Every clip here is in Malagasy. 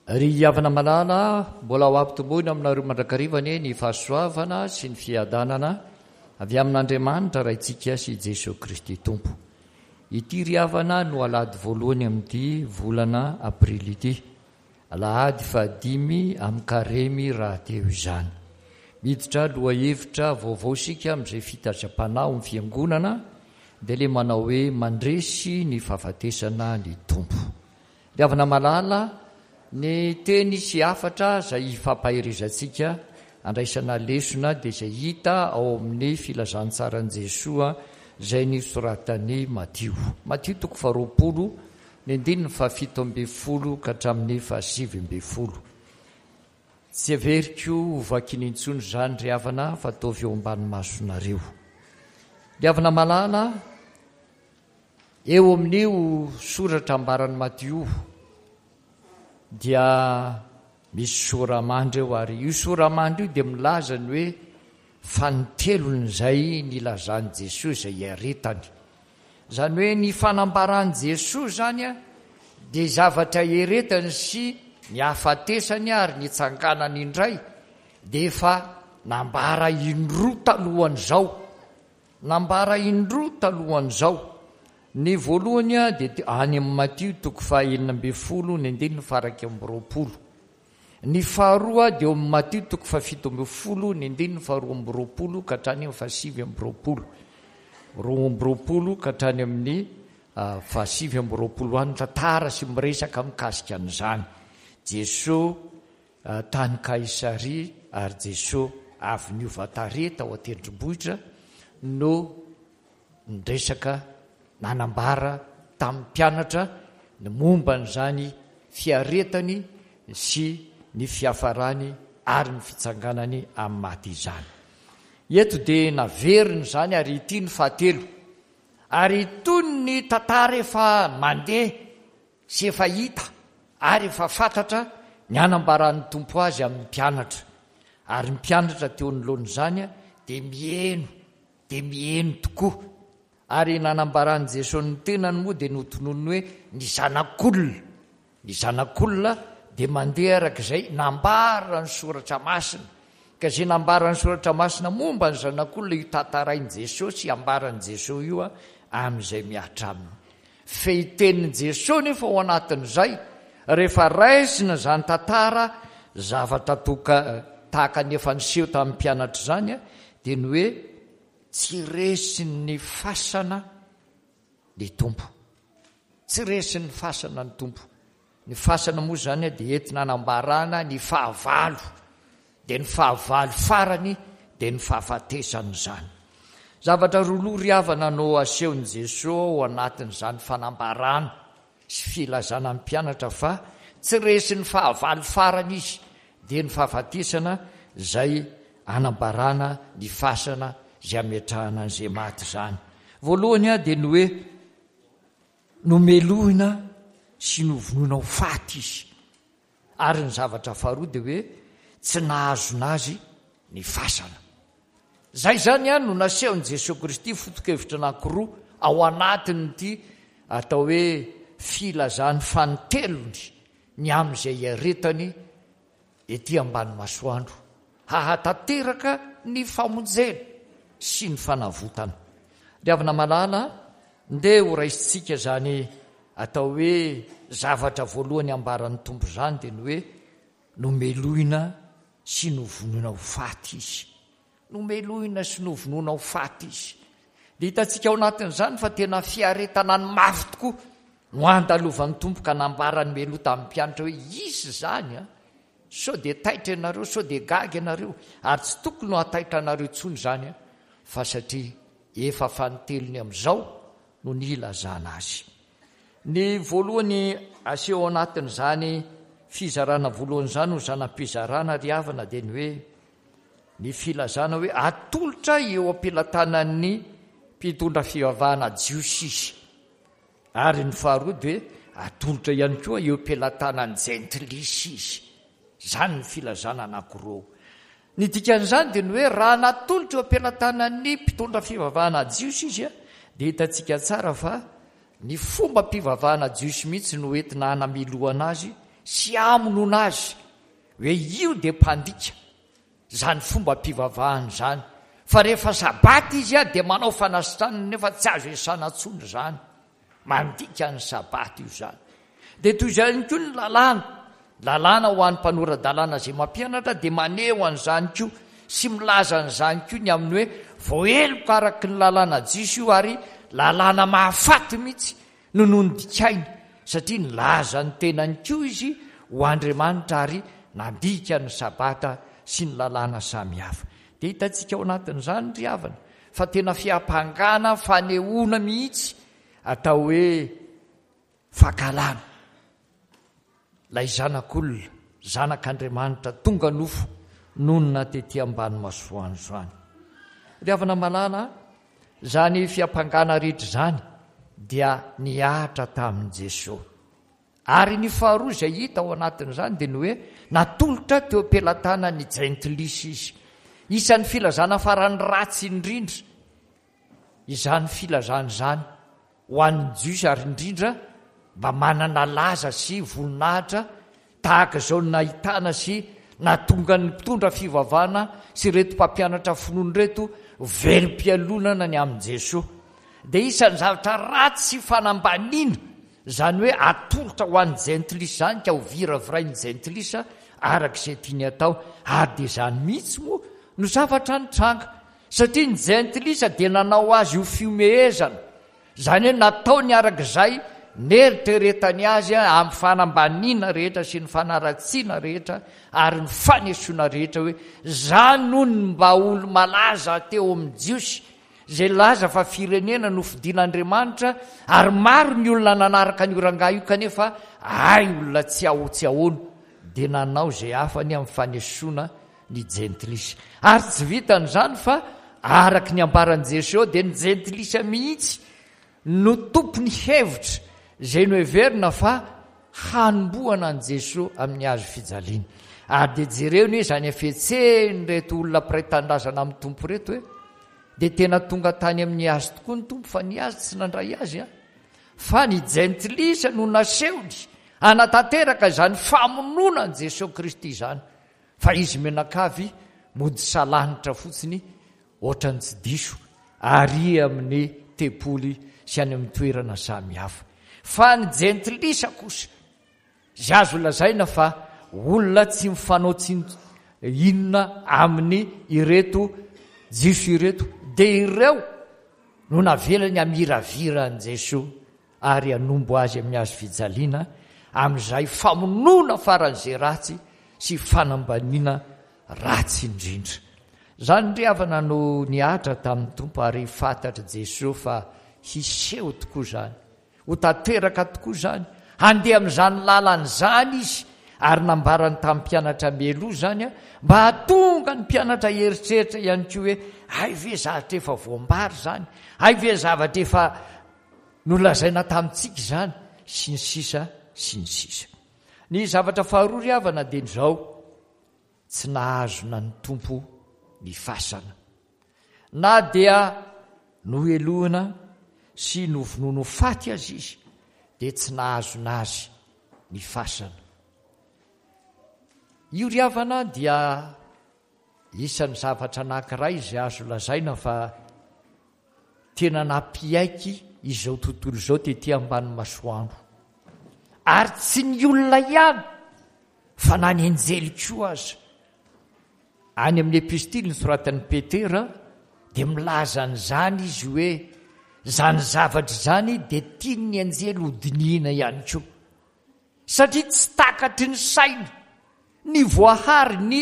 Ry havana malala, mbola ho ampitomboina aminareo mandrakariva anie ny fahasoavana sy ny fiadanana avy amin'Andriamanitra Raintsika sy Jesoa Kristy Tompo. Ity ry havana no alahady voalohany amin'ity volana aprily ity. Alahady fahadimy amin'ny karemy rahateo izany. Miditra lohahevitra vaovao isika amin'izay fitazam-panahy ao amin'ny Fiangonana dia ilay manao hoe Mandresy ny fahafatesana ny Tompo. Ry havana malala, ny teny sy hafatra izay ifampaherezantsika andraisana lesona dia izay hita ao amin'ny filazantsaran'i Jesoa izay nosoratan'i Matio. Matio toko faharoapolo, ny andininy fahafito ambin'ny folo ka hatramin'ny fahasivy ambin'ny folo. Tsy heveriko ho vakiana intsony izany ry havana fa ataovy eo ambany masonareo. Ry havana malala, Eo amin'io soratra ambaran'i Matio io dia misy sora-mandry eo ary io sora-mandry io dia milaza ny hoe fanintelon'izay nilazan'i Jesoa izay hiaretany. Izany hoe ny fanambaran'i Jesoa izany dia zavatra hieretany sy ny hahafatesany ary ny hitsanganany indray dia efa nambara indroa talohan'izao. Nambara indroa talohan'izao. Ny voalohany dia any amin'ny Matio toko faha-16 ny andininy faha-21. Ny faharoa dia eo amin'ny Matio toko faha-17 ny andininy faha-22 ka hatrany amin'ny faha-29. 22 ka hatrany amin'ny faha-29 any tantara sy miresaka mikasika an'izany. Jesoa Tany Kaisaria ary Jesoa avy niova tarehy tao an-tendrombohitra no niresaka nanambara tamin'ny mpianatra ny momba an'izany fiaretany sy ny fiafarany ary ny fitsanganany amin'ny maty izany. Eto dia naveriny izany ary ity ny fahatelo. Ary itony ny tantara efa mandeha sy efa hita ary efa fantatra ny hanambaran'ny Tompo azy amin'ny mpianatra. Ary ny mpianatra teo anoloan'izany dia miheno, dia miheno tokoa. Ary nanambaran'i Jesoa ny tenany moa dia notononiny hoe ny Zanak'olona. Ny Zanak'olona dia mandeha araka izay nambaran'ny Soratra Masina. Ka izay nambaran'ny Soratra Masina momba ny Zanak'olona io tantarain'i Jesoa sy ambaran'i Jesoa io amin'izay mihatra aminy. Fehitenin'i Jesoa nefa ao anatin'izay, rehefa raisina izany tantara zavatra toka tahaka ny efa niseho tamin'ny mpianatra izany dia ny hoe tsy resin'ny fasana ny Tompo. Tsy resin'ny fasana ny Tompo. Ny fasana moa izany dia entina hanambarana ny fahavalo, dia ny fahavalo farany dia ny fahafatesana izany. Zavatra roa loha ry havana no asehon'i Jesoa ao anatin'izany fanambarana sy filazana ny mpianatra fa tsy resin'ny fahavalo farany izy, dia ny fahafatesana izay anambarana ny fasana izay ametrahana an'izay maty izany. Voalohany dia ny hoe Nomelohina sy novonoina ho faty izy. Ary ny zavatra faharoa dia hoe tsy nahazona azy ny fasana. Izay izany no nasehon'i Jesoa Kristy foto-kevitra anankiroa ao anatin'ity atao hoe filazany fanintelony ny amin'izay hiaretany ety ambany masoandro hahatanteraka ny famonjena sy ny fanavotana. Ry havana malala, ndeha ho raisintsika izany atao hoe zavatra voalohany ambaran'ny Tompo izany dia ny hoe nomelohina sy novonoina ho faty Izy. Nomelohina sy novonoina ho faty Izy. Dia hitantsika ao anatin'izany fa tena fiaretana ny mafy tokoa no andalovan'ny Tompo ka nambarany mialoha tamin'ny mpianatra hoe hisy izany an! Sao dia taitra ianareo, sao dia gaga ianareo, ary tsy tokony ho hataitra anareo intsony izany an, fa satria efa fanintelony amin'izao no nilazana azy. Ny voalohany aseho ao anatin'izany fizarana voalohany izany ho zana-pizarana ry havana dia ny hoe Ny filazana hoe atolotra eo am-pelatanan'ny mpitondra fivavahana jiosy izy. Ary ny faharoa dia hoe atolotra ihany koa eo am-pelatanan'ny jentilisa izy. Izany ny filazana anankiroa. Ny dikan'izany dia ny hoe raha natolotra eo am-pelatanan'ny mpitondra fivavahana jiosy izy dia hitantsika tsara fa ny fombam-pivavahana jiosy mihitsy no entina hanamelohana azy. sy hamonoana azy hoe io dia mpandika izany fombam-pivavahana izany fa rehefa sabata izy dia manao fanasitranana nefa tsy azo iasana intsony izany. Mandika ny Sabata io izany. Dia toy izay ihany koa ny lalàna. Lalàna ho an'ny mpanora-dalàna izay mampianatra dia maneho an'izany koa sy milaza an'izany koa ny amin'ny hoe voaheloka araka ny lalàna jiosy io ary lalàna mahafaty mihitsy no nondikainy satria nilaza ny tenany koa izy ho Andriamanitra ary nandika ny Sabata sy ny lalàna samihafa. Dia hitantsika ao anatin'izany ry havana fa tena fiampangana fanehoana mihitsy atao hoe fankahalana ilay Zanak'olona, Zanak'Andriamanitra tonga nofo nonina tety ambany masoandro izany. Ry havana malala, izany fiampangana rehetra izany dia nihatra tamin'i Jesoa. Ary ny faharoa izay hita ao anatin'izany dia ny hoe natolotra teo am-pelatanan'ny jentilisa izy. Isan'ny filazana farany ratsy indrindra izany filazana izany ho an'ny Jiosy ary indrindra mba manana laza sy voninahitra tahaka izao nahitana sy nahatonga ny mpitondra fivavahana sy ireto mpampianatra finoana ireto velom-pialonana ny amin'i Jesoa. Dia isan'ny zavatra ratsy sy fanambaniana Izany hoe atolotra ho an'ny jentilisa izany ka ho viravirain'ny jentilisa araka izay tiany atao. Ary dia izany mihitsy moa no zavatra nitranga. Satria ny jentilisa dia nanao azy ho fihomehezana. Izany hoe nataony araka izay neritreretany azy amin'ny fanambaniana rehetra sy ny fanaratsiana rehetra ary ny fanesoana rehetra hoe izany hono ny mba olo-malaza teo amin'ny Jiosy izay nilaza fa firenena nofidin'Andriamanitra ary maro ny olona nanaraka an'io rangahy io kanefa hay olona tsy ao tsy ahoana dia nanao izay hafany amin'ny fanesoana ny jentilisa. Ary tsy vitan'izany fa araka ny ambaran'i Jesoa dia ny jentilisa mihitsy no tompony hevitra izay noheverina fa hanombohana an'i Jesoa amin'ny hazo fijaliana. Ary dia jereo anie izany hafetsen'ireto olona mpiray tanindrazana amin'ny Tompo ireto e! Dia tena tonga tany amin'ny hazo tokoa ny Tompo fa ny hazo tsy nandray azy an! Fa ny jentilisa no nasehony hanatanteraka izany famonoana an'i Jesoa Kristy izany. Fa izy mianakavy mody salanitra fotsiny Ohatran'ny tsy diso ary amin'ny tempoly sy any amin'ny toerana samihafa. Fa ny jentilisa kosa, izay azo lazaina fa olona tsy mifanao tsinontsinona amin'ny ireto Jiosy ireto, dia ireo no navelany hamiravira an'i Jesoa ary hanombo azy amin'ny hazo fijaliana, amin'izay famonoana faran'izay ratsy sy fanambaniana ratsy indrindra. Izany ry havana no nihatra tamin'ny Tompo ary fantatr'i Jesoa fa hiseho tokoa izany, ho tanteraka tokoa izany, handeha amin'izany lalana izany Izy ary nambarany tamin'ny mpianatra mialoha izany mba hahatonga ny mpianatra hieritreritra ihany koa hoe hay ve zavatra efa voambara izany, hay ve zavatra efa nolazaina tamintsika izany sy ny sisa sy ny sisa. Ny zavatra faharoa ry havana dia ny izao, tsy nahazona ny Tompo ny fasana. Na dia nohelohina sy novonoina ho faty aza izy dia tsy nahazona azy ny fasana. Io ry havana dia isan'ny zavatra anankiray izay azo lazaina fa tena nampiaiky izao tontolo izao tety ambany masoandro. Ary tsy ny olona ihany fa na ny anjely koa aza. Any amin'ny epistily nosoratan'i Petera dia milaza an'izany izy hoe izany zavatra izany dia tian'ny anjely hodinihina ihany koa. Satria tsy takatry ny saina ny voahary ny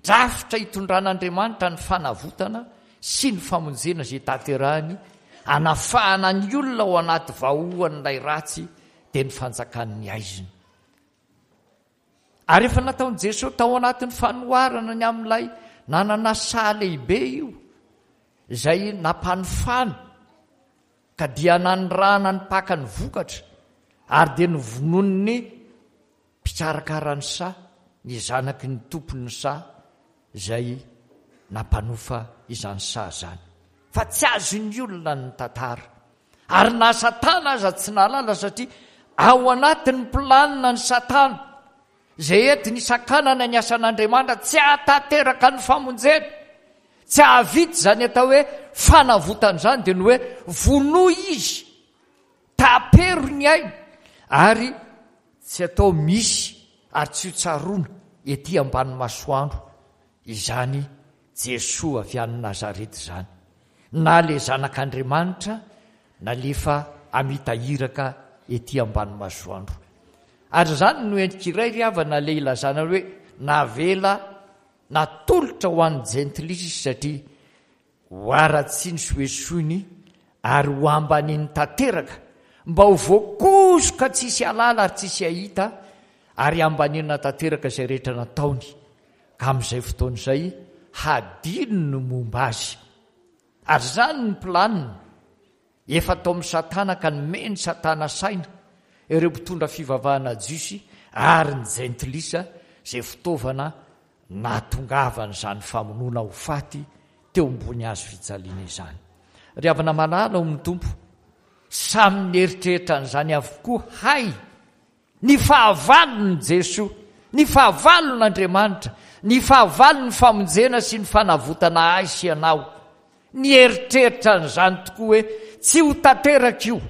drafitra itondran'Andriamanitra ny fanavotana sy ny famonjena izay tanterahiny hanafahana ny olona ao anaty vahoan'ilay ratsy dia ny fanjakan'ny haizina. Ary efa nataon'i Jesoa tao anatin'ny fanoharana ny amin'ilay nanana saha lehibe io izay nampanofana Ka dia nanirahana ny mpaka ny vokatra, ary dia novonoin'ny mpikarakara ny saha ny zanaky ny tompon'ny saha izay nampanofa izany saha izany. Fa tsy azon'ny olona ny tantara. Ary na Satana aza tsy nahalala satria ao anatin'ny planina ny Satana. Izay entiny hisakanana ny asan'Andriamanitra tsy hahatanteraka ny famonjena, tsy hahavita izany atao hoe fanavotana izany dia ny hoe vonoy izy, tapero ny ainy ary tsy atao misy ary tsy ho tsaroana ety ambany masoandro izany Jesoa avy any Nazareta izany, na ilay Zanak'Andriamanitra nalefa hamita iraka ety ambany masoandro. Ary izany no endrika iray ry havana ilay ilazana hoe navela natolotra ho an'ny jentilisa izy satria ho haratsiany sy ho esoiny ary ho ambaniny tanteraka mba ho voakosoka tsisy halala ary tsisy hahita ary hambanina tanteraka izay rehetra nataony ka amin'izay fotoana izay hadino ny momba azy. Ary izany ny planina efa ataon'i Satana ka nomen'i Satana saina ireo mpitondra fivavahana jiosy ary ny jentilisa izay fitaovana nahatongavan'izany famonoana ho faty teo ambony hazo fijaliana izany. Ry havana malala ao amin'ny Tompo, samy nieritreritra an'izany avokoa hay Ny fahavalon'i Jesoa, ny fahavalon'Andriamanitra, ny fahavalon'ny famonjena sy ny fanavotana ahy sy ianao. Nieritreritra an'izany tokoa hoe tsy ho tanteraka io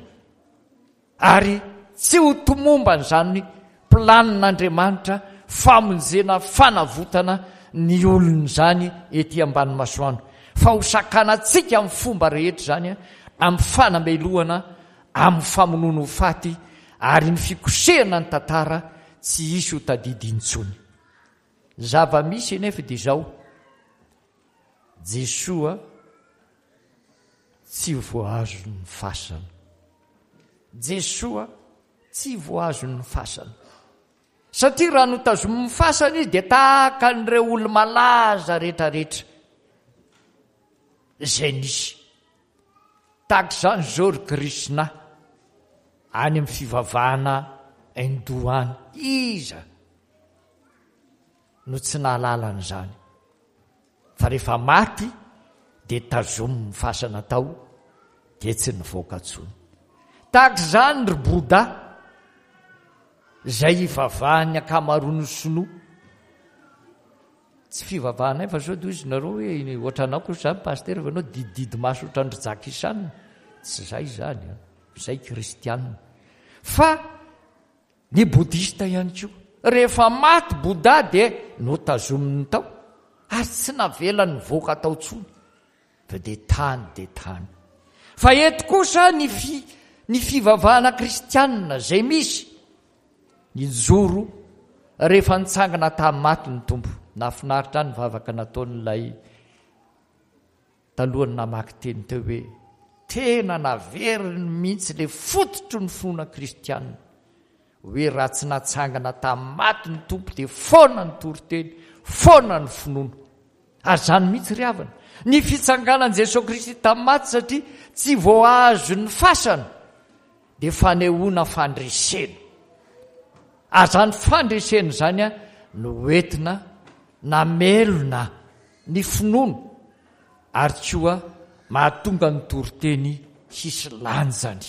ary tsy ho tomomban'izany planin'Andriamanitra famonjena fanavotana ny olony izany ety ambany masoandro fa ho sakanantsika amin'ny fomba rehetra izany amin'ny fanamelohana amin'ny famonoana ho faty ary ny fikosehana ny tantara tsy hisy ho tadidy intsony. Ny zava-misy anefa dia izao, Jesoa tsy voahazon'ny fasana. Jesoa tsy voahazon'ny fasana. Satria raha notazomin'ny fasana izy dia tahaka an'ireo olo-malaza rehetrarehetra izay nisy. Tahaka izany izao ry Krishna any amin'ny fivavahana Hindou any. Iza no tsy nahalala an'izany? Fa rehefa maty dia tazomin'ny fasana tao dia tsy nivoaka intsony. Tahaka izany ry Bouddha izay ivavahan'ny ankamaroan'ny sinoa. Tsy fivavahanay fa sao dia hozy nareo hoe ohatranao kosa izany pasitera fa ianao didididy maso ohatran-dry Jackie Chan. Tsy izay izany an. Izay kristianina. Fa ny bodista ihany koa. Rehefa maty Bouddha dia notazominy tao ary tsy navelany nivoaka tao intsony fa dia tany dia tany. Fa eto kosa ny fi, ny fivavahana kristianina izay misy Nijoro rehefa nitsangana tamin'ny maty ny Tompo. Nahafinaritra ahy ny vavaka nataon'ilay talohan'ny namaky teny teo hoe tena naveriny mihitsy ilay fototry ny finoana kristianina hoe raha tsy natsangana tamin'ny maty ny Tompo dia foana ny toriteny, foana ny finoana. Ary izany mihitsy ry havana, ny fitsanganan'i Jesoa Kristy tamin'ny maty satria tsy voahazon'ny fasana dia fanehoana fandresena. Ary izany fandresena izany no entina namelona ny finoana ary koa mahatonga ny toriteny hisy lanjany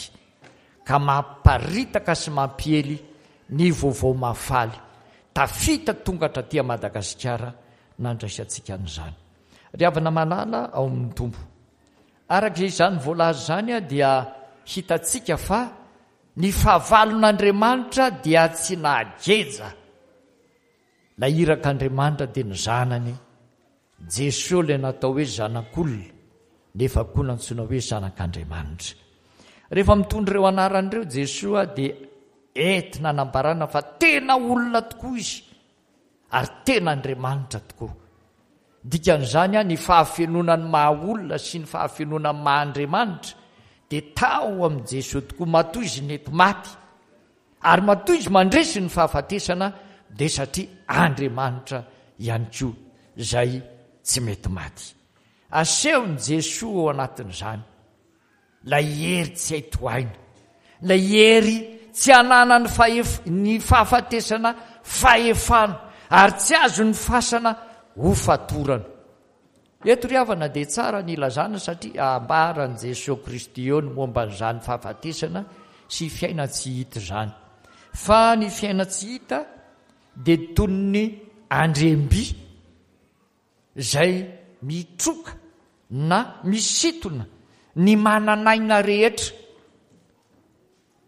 ka mamparitaka sy mampiely ny vaovao mahafaly tafita tonga hatraty Madagasikara nandraisantsika an'izany. Ry havana malala ao amin'ny Tompo, araka izany voalaza izany dia hitantsika fa ny fahavalon'Andriamanitra dia tsy nahageja ilay irak'Andriamanitra dia ny Zanany Jesoa ilay natao hoe Zanak'olona nefa koa nantsoina hoe Zanak'Andriamanitra. Rehefa mitondra ireo anarana ireo Jesoa dia entina anambarana fa tena olona tokoa izy ary tena Andriamanitra tokoa. Dikan'izany, ny fahafenoana ny maha olona sy ny fahafenoana ny maha Andriamanitra dia tao amin'i Jesoa tokoa. Matoa izy nety maty ary matoa izy mandresy ny fahafatesana dia satria Andriamanitra ihany koa izay tsy mety maty. Asehon'i Jesoa ao anatin'izany. Ilay hery tsy hay tohaina. Ilay hery tsy ananan'ny fahef ny fahafatesana fahefana ary tsy azon'ny fasana ho fatorana. Eto ry havana dia tsara ny ilazana satria ambaran'i Jesoa Kristy eo ny momba an'izany fahafatesana sy fiainan-tsy hita izany. Fa ny fiainan-tsy hita. dia toy ny andriam-by izay mitroka na misintona ny manan'aina rehetra.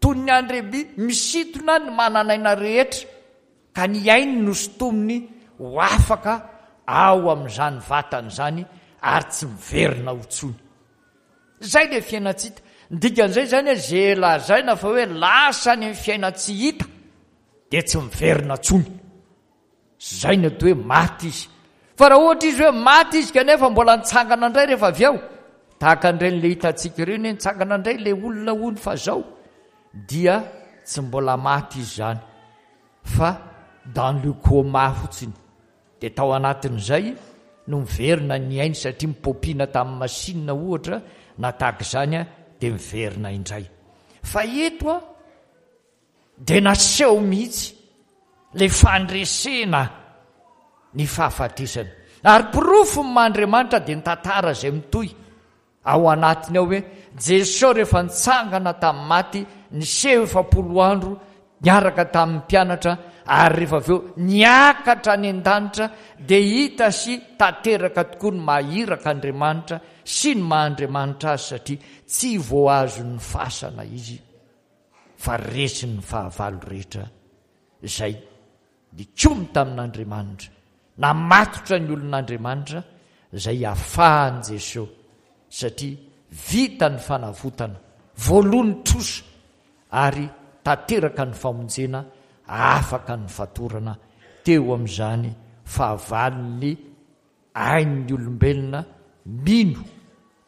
Toy ny andriam-by misintona ny manan'aina rehetra ka ny ainy no sintominy ho afaka ao amin'izany vatana izany ary tsy miverina ho intsony. Izay ilay fiainan-tsy hita. Ny dikan'izay izany hoe izay lazaina fa hoe lasa any amin'ny fiainan-tsy hita dia tsy miverina intsony. Izay no atao hoe maty izy. Fa raha ohatra izy hoe maty izy kanefa mbola nitsangana indray rehefa avy eo, tahaka an'ireny le hitantsika ireny hoe nitsangana indray ilay olona hono fa zao, dia tsy mbola maty izy izany fa dans le coma fotsiny. Dia tao anatin'izay no miverina ny ainy satria mipopina tamin'ny machine ohatra na tahaka izany dia miverina indray. Fa eto an, dia naseho mihitsy ilay fandresena ny fahafatesana. Ary porofo ny maha Andriamanitra dia ny tantara izay mitohy ao anatiny ao hoe Jesoa rehefa nitsangana tamin'ny maty niseho 40 andro niaraka tamin'ny mpianatra ary rehefa avy eo niakatra any an-danitra dia hita sy tanteraka tokoa ny maha iraka Andriamanitra sy ny maha Andriamanitra azy satria tsy voahazon'ny fasana izy fa resin'ny fahavalo rehetra izay nikomy tamin'Andriamanitra, namatotra ny olon'Andriamanitra izay afahan'i Jesoa satria vita ny fanavotana, voaloa ny trosa ary tanteraka ny famonjena afaka ny fatorana teo amin'izany fahavalon'ny ain'ny olombelona mino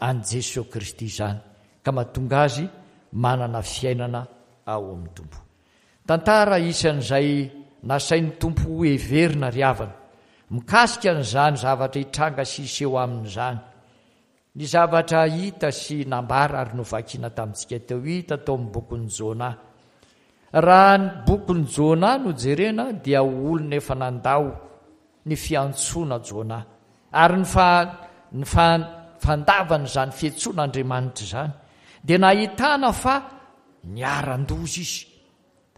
an'i Jesoa Kristy izany ka mahatonga azy manana fiainana ao amin'ny Tompo. Tantara isan'izay nasain'ny Tompo ho heverina ry havana, mikasika an'izany zavatra hitranga sy hiseho aminy izany. Ny zavatra hita sy nambara ary novakiana tamintsika teo, hita tao amin'ny bokin'i Jona. Raha ny bokin'i Jona no jerena dia olona efa nandao ny fiantsoana Jona ary ny fa ny fa fandavana izany fiantsoana Andriamanitra izany dia nahitana fa niharan-doza izy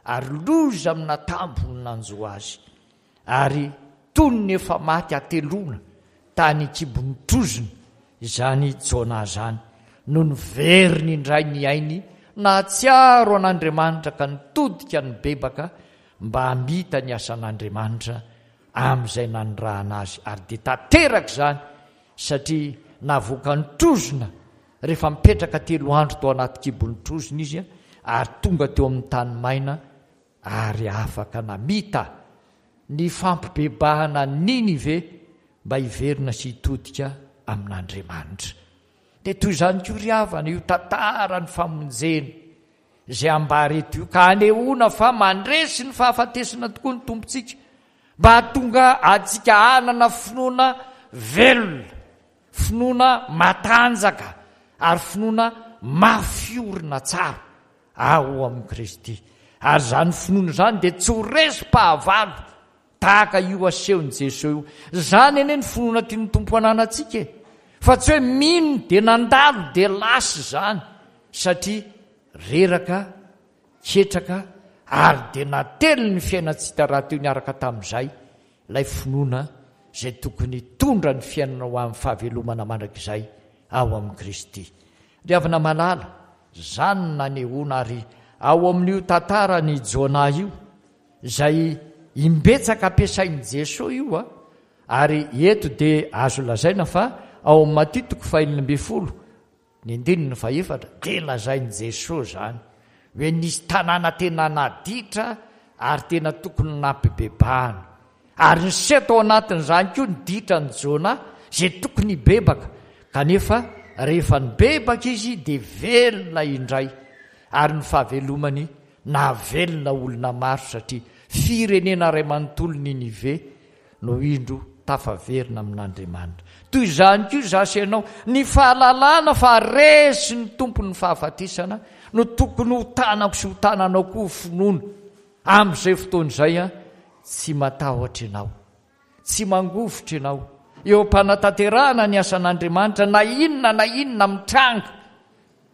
ary loza aminatambo no nanjo azy ary toy ny efa maty hateloana tany an-kibon'ny trozona izany Jona izany no niveriny indray ny ainy nahatsiaro an'Andriamanitra ka nitodika nibebaka mba hamita ny asan'Andriamanitra amin'izay nanirahana azy ary dia tanteraka izany satria navoakan'ny trozona rehefa mipetraka telo andro tao anaty kibon'ny trozona izy ary tonga teo amin'ny tany maina ary afaka namita ny fampibebahana Ninive mba hiverina sy hitodika amin'Andriamanitra. Dia toy izany koa ry havana io tantaran'ny famonjena izay ambara eto io ka anehoana fa mandresy ny fahafatesana tokoa ny Tompontsika mba hahatonga antsika hanana finoana velona, finoana matanjaka ary finoana mafy orina tsara ao amin'i Kristy. Ary izany finoana izany dia tsy ho resim-pahavalo Tahaka io asehon'i Jesoa io. Izany anie ny finoana tian'ny Tompo hananantsika e! Fa tsy hoe mino dia nandalo dia lasa izany satria reraka, ketraka ary dia natelin'ny ny fiainan-tsy hita rahateo niaraka tamin'izay ilay finoana izay tokony hitondra ny fiainana ho amin'ny fahavelomana mandrakizay ao amin'i Kristy. Ry havana malala, izany no nanehoana ary ao amin'io tantaran'i Jonah io, Izay imbetsaka ampiasain'i Jesoa io a, ary eto dia azo lazaina fa ao amin'ny Matio toko faha-16 ny andininy fahefatra dia lazain'i Jesoa izany hoe nisy tanàna tena naditra ary tena tokony nampibebahana ary niseho tao anatin'izany koa ny ditran'i Jona izay tokony hibebaka kanefa rehefa nibebaka izy dia velona indray ary ny fahavelomany Nahavelona olona maro satria firenena iray manontolo Ninive no indro tafaverina amin'Andriamanitra. Toy izany koa izaho sy ianao, ny fahalalana fa resy ny Tompo ny fahafatesana no tokony ho tanako sy ho tananao koa ho finoana. Amin'izay fotoana izay an, tsy matahotra ianao, tsy mangovitra ianao, eo am-panatanterahana ny asan'Andriamanitra na inona na inona mitranga.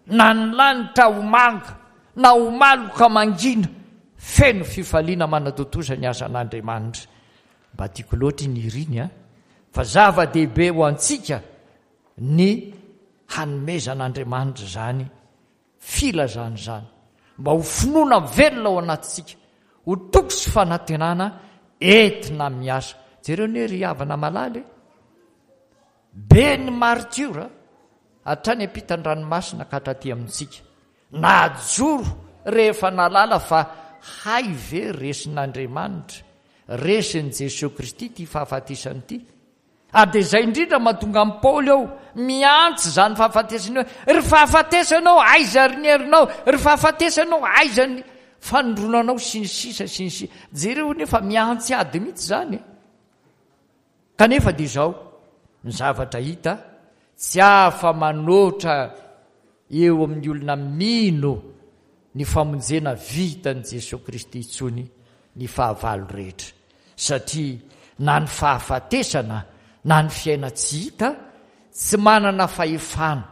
Na ny lanitra ho manga, na ho maloka mangina, Feno fifaliana manatontosa ny asan'Andriamanitra. Mba tiako loatra iny hira iny an! Fa zava-dehibe ho antsika ny hanomezan'Andriamanitra izany filazana izany, mba ho finoana velona ao anatintsika, ho toky sy fanantenana entina miasa. Jereo anie ry havana malala e! Be ny martiora hatrany ampitan-dranomasina ka hatraty amintsika. Najoro rehefa nahalala fa hay ve resin'Andriamanitra, resin'i Jesoa Kristy ity fahafatesana ity. Ary dia izay indrindra mahatonga an'i Paoly ao miantso izany fahafatesana hoe, Ry fahafatesana ô, aiza ry ny herinao? Ry fahafatesana ô, aiza ny fanindronanao? Sy ny sisa sy ny sisa. Jereo anie fa miantsy ady mihitsy izany e. Kanefa dia izao ny zavatra hita, tsy afa-manoatra eo amin'ny olona mino ny famonjena vitan'i Jesoa Kristy intsony ny fahavalo rehetra, satria na ny fahafatesana na ny fiainan-tsy hita tsy manana fahefana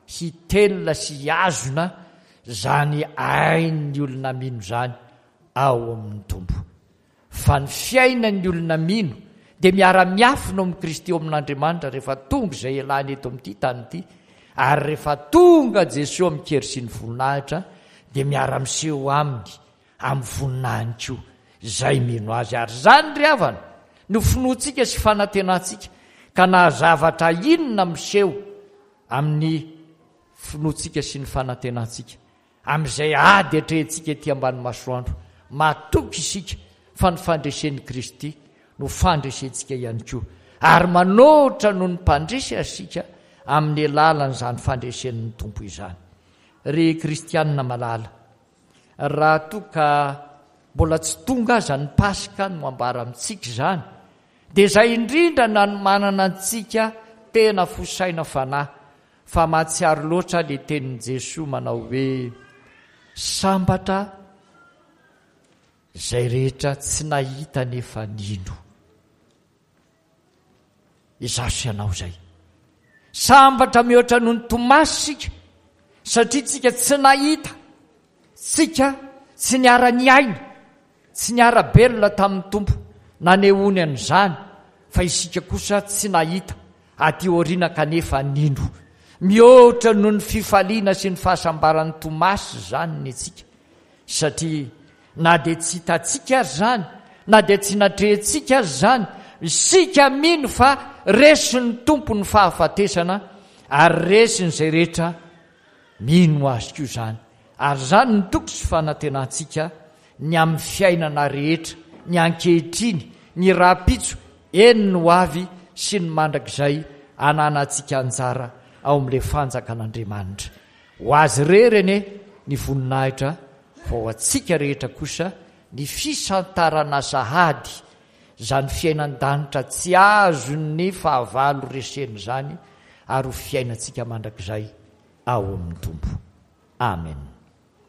hitelina sy hihazona izany ain'ny olona mino izany ao amin'ny Tompo. Fa ny fiainan'ny olona mino dia miara-miafina ao amin'i Kristy ao amin'Andriamanitra rehefa tonga izay ialany eto amin'ity tany ity, ary rehefa tonga Jesoa amin-kery sy ny voninahitra dia miara-miseho aminy amin'ny voninahiny koa izay mino Azy. Ary izany ry havana no finoantsika sy fanantenantsika, ka na zavatra inona miseho amin'ny finoantsika sy ny fanantenantsika, Amin'izay ady atrehintsika ety ambany masoandro, matoky isika fa ny fandresen'i Kristy no fandresentsika ihany koa, ary manoatra noho ny mpandresy aza isika amin'ny alalan'izany fandresen'ny Tompo izany. Ry kristianina malala, raha toa ka mbola tsy tonga aza ny Paska no ambara amintsika izany, dia izay indrindra nanomanana antsika tena fo saina fanahy Fa mahatsiaro loatra le tenin'i Jesoa manao hoe sambatra izay rehetra tsy nahita nefa nino. Izaho sy ianao izay. Sambatra mihoatra noho ny Tomasy isika satria tsika tsy nahita, tsika tsy niara-niaina Tsy niara-belona tamin'ny Tompo nanehoany an'izany fa isika kosa tsy nahita aty aoriana kanefa nino. Mihoatra noho ny fifaliana sy ny fahasambaran'i Tomasy izany ny antsika satria na dia tsy hitantsika aza izany, na dia tsy natrehintsika aza izany, isika mino fa resin'ny Tompo ny fahafatesana ary resin'izay rehetra Mino Azy koa izany, ary izany no toky sy fanantenantsika ny amin'ny fiainana rehetra, ny ankehitriny, ny rahampitso, eny ny ho avy sy ny mandrakizay ananantsika anjara ao amin'ilay Fanjakan'Andriamanitra. Ho Azy irery anie ny voninahitra fa ho antsika rehetra kosa ny fisantarana sahady izany fiainan-danitra tsy azon'ny fahavalo resena izany ary ho fiainantsika mandrakizay ao amin'ny Tompo. Amen.